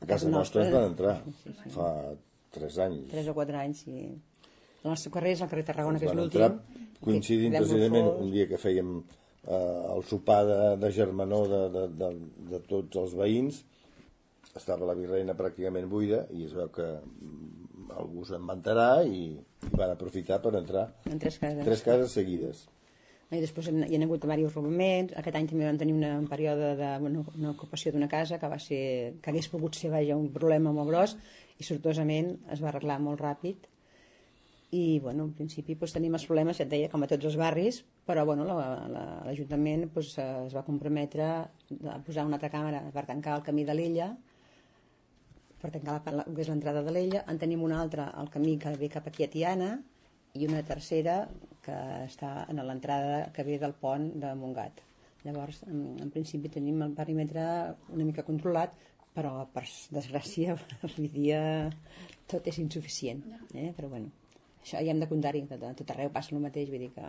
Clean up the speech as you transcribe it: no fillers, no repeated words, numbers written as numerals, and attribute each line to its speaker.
Speaker 1: A casa nostra ens van entrar fa 3 anys.
Speaker 2: 3 o 4 anys, sí. El nostre carrer és el carrer Tarragona, que és
Speaker 1: Van
Speaker 2: l'últim.
Speaker 1: entrar coincidint precisament un dia que fèiem el sopar de germanor de tots els veïns. Estava la virreina pràcticament buida i es veu que algú se'n va enterar i van aprofitar per entrar
Speaker 2: En 3 cases.
Speaker 1: 3 cases seguides.
Speaker 2: I després hi ha hagut diversos robaments. Aquest any també vam tenir un període d'una ocupació d'una casa que hagués pogut ser un problema molt gros i sortosament es va arreglar molt ràpid. I en principi tenim els problemes, ja et deia, com a tots els barris, però l'Ajuntament es va comprometre a posar una altra càmera per tancar el camí de l'Ella, per tancar el que és l'entrada de l'Ella. En tenim una altra al camí que ve cap aquí a Tiana i una tercera que està en l'entrada que ve del pont de Montgat. Llavors, en principi tenim el perímetre una mica controlat, però per desgràcia avui dia tot és insuficient, però això ja hem de comptar-hi, a tot arreu passa el mateix, vull dir que